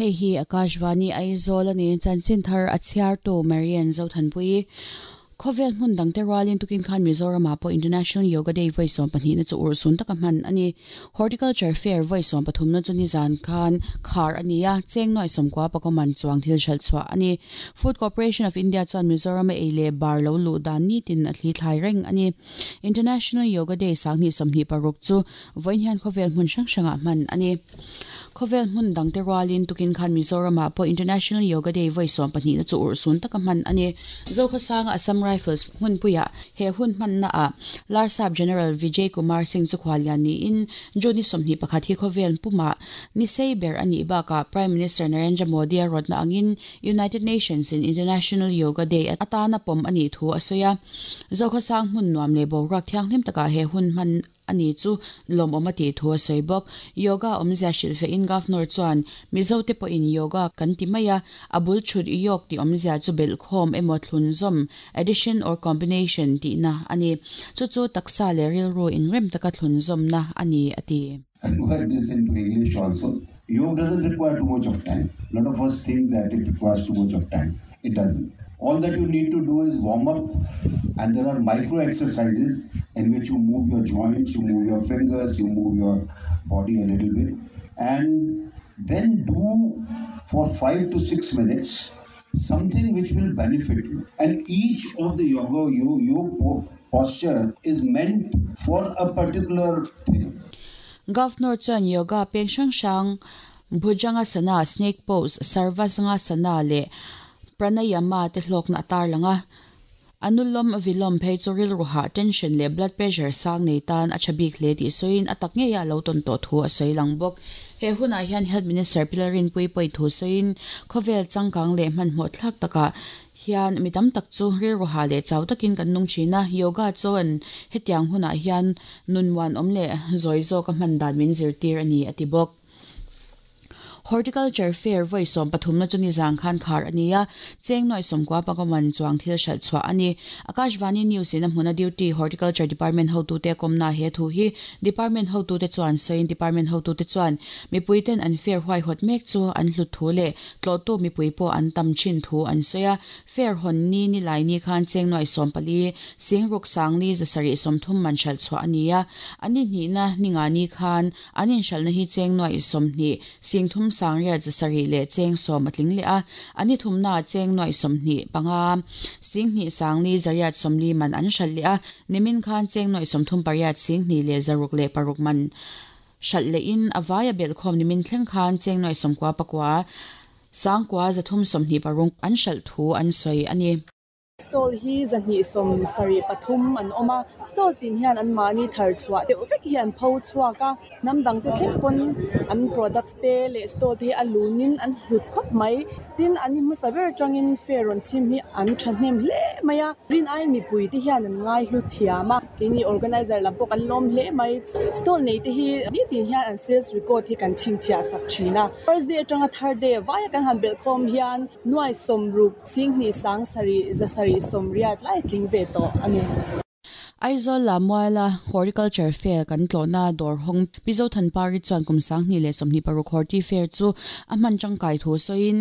Hei hi Akashvani Aizawl a ni. Chanchin thar a chhiartu Marian Zothanpuii. Khawvel hmun dangte rualin tukin khan Mizoramah pawh International Yoga Day vawi sawmpahnihna chu urhsun taka hman a ni. Horticulture Fair vawi sawmpathumna chu nizan khan khar a ni a, cheng nuai sawmkua pakaw man chuang thil hralh chhuah a ni. Food Corporation of India chuan Mizorama ei leh bar lo luh dan nitin a thli thlai reng a ni. International Yoga Day sanghnih 26 chu vawiin hian khawvel hmun hrang hrangah hman a ni. Khawvel hmun dangte rualin tukin khan Mizoramah pawh International Yoga Day vawi sawmpahnihna chu urhsun taka hman a ni. Zokhawsanga Assam Rifles hmunpuiah he hun hmannaah Larsap General Vijay Kumar Singh chu khuallian niin June ni 21 hi khawvel pumah ni sei ber a nih bakah Prime Minister Narendra Modi a rawtna angin United Nations in International Yoga Day atana pawm a nih thu a sawi a. Zokhawsang hmun nuam leh boruak thianghlim takah he hun hman a ni chu lawmawm a tih thu a sawi bawk. Yoga awmzia hrilhfehin Governor chuan Mizote pawhin yoga kan ti mai a, a bul thut yog tih awmzia chu belhkhawm emaw thlunzawm, addition or combination, tihna a ni. Chu chu taksa leh rilru inrem taka thlunzawmna a ni a ti. Convert this into English also. Yoga doesn't require too much of time. A lot of us think that it requires too much of time. It doesn't. All that you need to do is warm up, and there are micro exercises in which you move your joints, you move your fingers, you move your body a little bit, and then do for 5 to 6 minutes something which will benefit you. And each of the yoga you posture is meant for a particular thing. Governor chuan yoga peng hrang hrang Bhujangasana, Snake Pose, Sarvasangasana leh Pranayama te hlawkna a tarlang a. Anulom Vilom phei chu rilru hah, tension leh blood pressure sang nei tan a tha bik hle tih sawiin a tak ngeiah a lo tawn tawh thu a sawi lang bawk. He hunah hian Health Minister Pi Lalrinpuii pawi thu sawiin khawvel changkang leh hmanhmawh thlak takah hian mi tam tak chu rilru hah leh chau takin kan nung thin a, yoga chuan hetiang hunah hian nun muanawm leh zawi zawka hman dan min zirtir a ni a ti bawk. Horticulture Fair vawi sawmpathumna chu nizan khan khar a ni a, cheng nuai sawmkua pakaman chuang thil hralh chhuah a ni. Akashvani News in a hmuna duty Horticulture Department hotute kawmna he thu hi Department hotute chuan sawiin Department hotute chuan mipui ten an fair huaihawt mek chu an hlut thu leh tlawhtu mipui pawh an tam thin thu an sawi a. Fair hawn ni ni lai ni khan cheng nuai 14 singruk sangli zasarih 30 man hralh chhuah a ni a, an inhnihna ni nga ni khan An inhralhna hi cheng nuaih 20 singthum sangriat zasarih leh cheng 10 a tling leh a, an ni thumnaah cheng nuaih 25 singhnih sangli zariat 40 man an hralh leh a, nimin khan cheng nuaih 38 singhnih leh zaruk leh paruk man hralh lehin a vaia belhkhawm nimin thleng khan cheng nuaih 99 sangkua 326 an hralh thu an sawi a ni. Stall hi 273 an awm a, stall tin hian an mahni thar chhuah deuh vek hi an pho chhuak a, hnam dang te thleng pawn an products te leh stall te hi a lunin an hlut khawp mai. Tin, an ni hmasa ber atangin fair rawn chhim hi an thahnem hle mai a, rin aiin mipui te hian an ngai hlu thiam a, keini organizer lam pawh kan lawm hle mai. Stall nei te hi nitin hian an sales record hi kan chhinchhiah sak thin a, first day atanga third day vaia kan han belhkhawm hian nuai 60 Singhnih 7000 780 lai tling ve tawh a ni. Aizawl Lamuala Horticulture Fair kan tlawhna dawr hawng Pi Zothanpari chuan kum 2026 Horti Fair chu a hman tangkai thu sawiin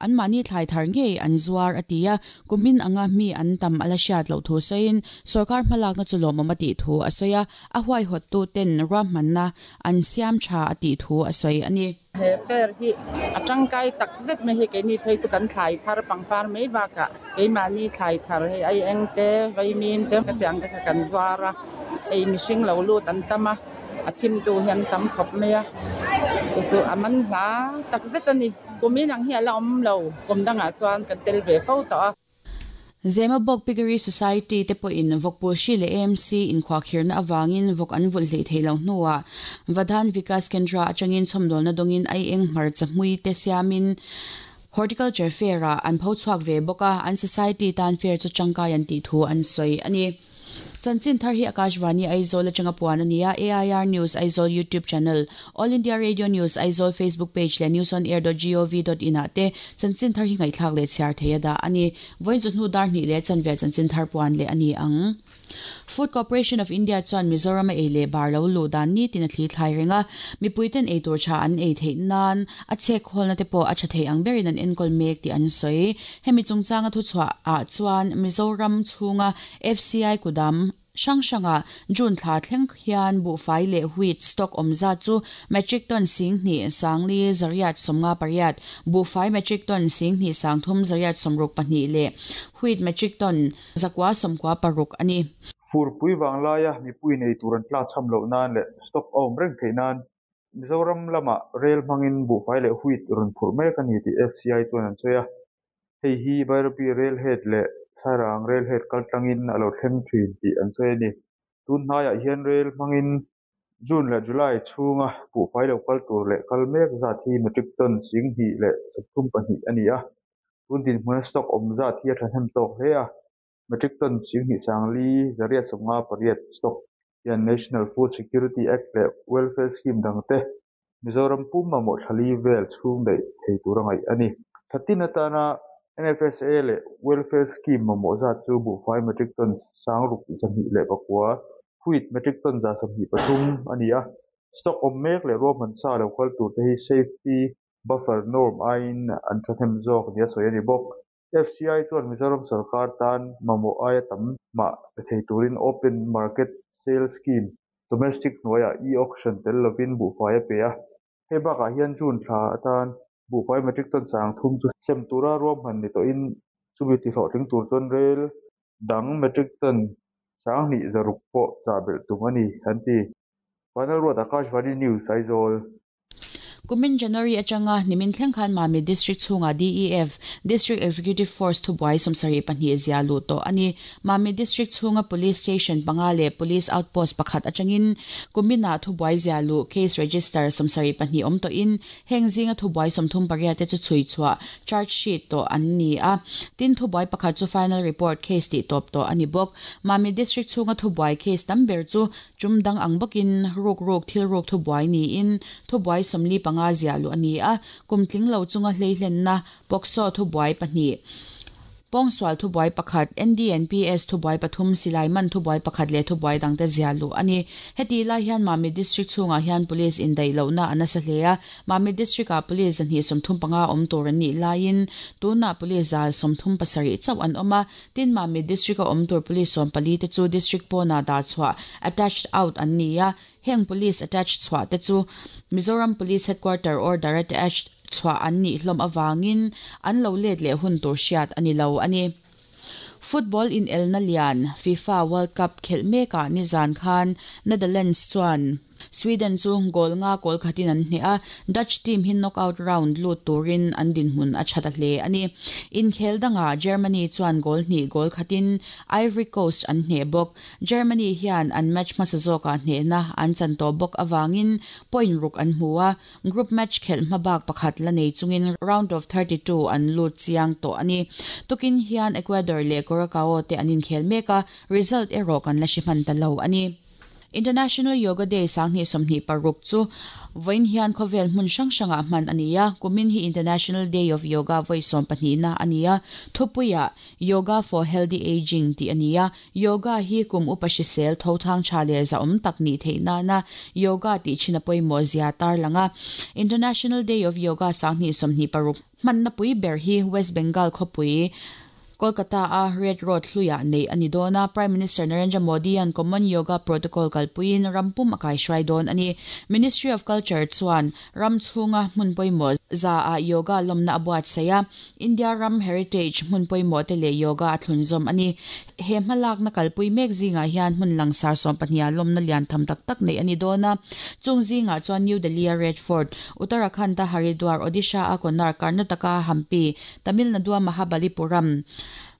anmahni thlai thar ngei an zuar a ti a, kumin anga mi an tam a la hriat loh thu sawiin sorkar hmalakna chu lawmawm a tih thu a sawi a, a huaihawttu ten ruahmanna an siam tha a tih thu a sawi a ni. He fair hi a tangkai tak zet mai hi keini phei chu kan thlai thar pangpar mai bakah keimahni thlai thar hei ai eng te vaimim te ka tiang te kha kan zuar a, hei mihring lo lut an tam a, a chhimtu hi an tam khawp mai a, chu chu a man hla tak zet a ni. Kumin ang hi a la awm lo, kum dangah chuan kan tel ve fo tawh a. Zemabawk Piggery Society te pawhin vawkpul hri leh AMC inkhuahkhirhna avangin vawk an vulh hleih theih loh hnuah Vadhan Vikas Kendra atangin chhawmdawlna dawngin ai eng hmarcha hmui te siamin Horticulture Fair-ah an pho chhuak ve bawk a, an society tan fair chu tangkai an tih thu an sawi a ni. Chanchin thar hi Akashvani Aizawl atanga puan a ni a, AIR News Aizawl YouTube channel, All India Radio News Aizawl Facebook page leh newsonair.gov.in ah te chanchin thar hi ngaihthlak leh chhiar thei a dah a ni. Vawiin chu hnu dar hnih leh chanve chanchin thar puan leh a ni ang. Food Corporation of India chuan Mizoram a ei leh bar lo luh dan nitin a thli thlai reng a, mipuiten ei tur tha an ei theih nan a chhek khawlna te pawh a tha thei ang berin an enkawl mek tih an sawi. Hemi chungchanga thuchhuah ah chuan Mizoram chhunga FCI kudam hrang hrangah June thla thleng hian buhfai leh wheat stock awm zat chu metric ton 10,000 458, buhfai metric ton 12,362 leh wheat metric ton 996 a ni. Furpui vanglaia mipui nei tur an tlakchham loh nan leh stock a awm reng theih nan Mizoram lamah rel hmangin buhfai leh wheat rawn phurh mek a ni tih FCI chuan an sawi a. Hei hi Bairabi Railhead leh Sairang Railhead kaltlangin a lo thleng thin tih an sawi a ni. Tun hnaiah hian rel hmangin June leh July chhunga buhfai lo kal tur leh kal mek zat hi metric ton 10,032 a ni a. Tun dinhmuna stock awm zat hi a thahnem tawk hle a. Metric ton 10,458 stock hian National Food Security Act leh Welfare Scheme dangte Mizoram pum mamawh thlali vel chhung daih thei tur a ngaih a ni. Thatin atana NFSA leh Welfare Scheme mamawh zat chu buhfai metric ton 6209, wheat metric ton 123 a ni a. Stock awm mek leh ruahman sa lo kal tur te hi safety buffer norm aiin an thahnem zawk nia sawi a ni bawk. FCI chuan Mizoram sarkar tan mamawh aia tam mah pe thei turin Open Market Sale Scheme domestic hnuaiah e-auction tel lovin buhfai a pe a. Hei bakah hian June thla atan buhfai metric ton 30 chu sem tura ruahman ni tawhin chumi tihlawhtling tur chuan rel dang metric ton 2600 pawh chah belh tum a ni, an ti. Vanal Ruat Akashvani News, Aizawl. Kumin January atanga nimin thleng khan Mamit District chhungah DEF, District Executive Force, thubuai 72 zia luh tawh a ni. Mamit District chhunga Police Station panga leh Police Outpost pakhat atangin kuminah thubuai zia luh case register 72 awm tawhin heng zinga thubuai 38 te chu chhui chhuah, charge sheet, tawh an ni a. Tin, thubuai pakhat chu final report case tih tawp tawh a ni bawk. Mamit District chhunga thubuai case tam ber chu Tum dang ang bawkin ruk ruk thil ruk thubuai niin thubuai 45 ziah luh a ni a, kum tling lo chunga hleihlenna POCSO thubuai pahnih, pawngsual thubuai pakhat, NDNPS thubuai pathum, silai man thubuai pakhat leh thubuai dangte ziah luh a ni. Heti lai hian Mamit District chhungah hian Police indaih lohna a nasa hle a, Mamit District-ah Police 235 awm tur an nih laiin tunah Police 137 chauh an awm a, Tin, Mamit District-a awm tur Police 14 te chu District pawnah dah chhuah, attached out, an ni a. Heng Police attached chhuah te chu Mizoram Police Headquarter order attached chhuah an nih hlawm avangin an lo let leh hun tur hriat a ni lo a ni. Football inelna lian FIFA World Cup khelh mekah nizan khan Netherlands chuan Sweden chu goal nga kawl khatin an hneh a, Dutch team hi knockout round lut turin an dinhmun a tha ta hle a ni. Inkhel dangah Germany chuan goal hnih goal khatin Ivory Coast an hneh bawk. Germany hian an match hmasa zawkah hnehna an chan tawh bawk avangin point ruk an hmu a, group match khelh hmabak pakhat la nei chungin round of 32 an lut chiang tawh a ni. Tukin hian Ecuador leh Curacao te an inkhel mek a, result erawh kan la hre hman ta lo a ni. International Yoga Day 2026 chu vawiin hian khawvel hmun hrang hrangah hman a ni a, kumin hi International Day of Yoga vawi 12na a ni a, thupuiah Yoga for Healthy Ageing tih a ni a, yoga hi kum upa hrisel tho thang tha leh zahawm tak nih theih nana yoga tih thin a pawimawh zia tarlang a. International Day of Yoga 2026 hmanna pui ber hi West Bengal khawpui Kolkata-a Red Road hluiah neih a ni dawn a, Prime Minister Narendra Modi-a'n Common Yoga Protocol kalpuiin ram pum a kaihruai dawn a ni. Ministry of Culture chuan ram chhunga hmun pawimawh za-ah yoga lawmna a buatsaih a, India ram heritage hmun pawimawh te leh yoga a thlunzawm a ni. He hmalakna kalpui mek zingah hian hmun langsar 12-ah lawmna lian tham tak tak neih a ni dawn a, chung zingah chuan New Delhi-a Red Fort, Uttarakhand-a Haridwar, Odisha-a Konark, Karnataka-a Hampi, Tamil Nadu-a Mahabalipuram,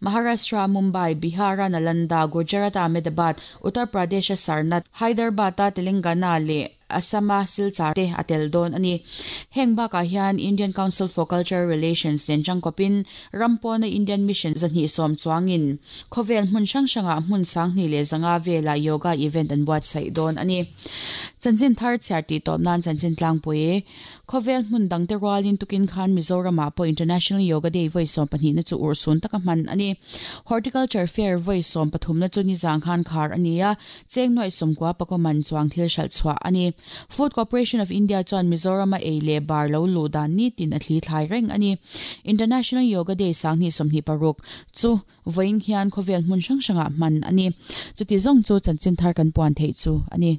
Maharashtra-a Mumbai, Bihar-a Nalanda, Gujarat-a Ahmedabad, Uttar Pradesh-a Sarnath, Hyderabad-a Telangana leh. Assam-a Silchar te a tel dawn a ni. Heng bakah hian Indian Council for Cultural Relations nen tangkawpin ram pawna Indian Mission 210 chuangin khawvel hmun hrang hrangah hmun 2500 velah yoga event an buatsaih dawn a ni. Chanchin thar chhiar tih tawp nan chanchin tlangpui khawvel hmun dangte rualin tukin khan Mizoramah pawh International Yoga Day vawi 12 na chu urhsun taka hman a ni. Horticulture Fair vawi 13 na chu nizang khan khar a ni a, cheng nuaih 90 pakaw man chuang thil hralh chhuah a ni. Food Corporation of India chuan Mizorama ei leh bar lo luh dan nitin a thli thlai reng a ni. International Yoga Day 2026 chu vawiin hian khawvel hmun hrang hrangah hman a ni. Chuti zawng chu chanchin thar kan puan theih chu a ni.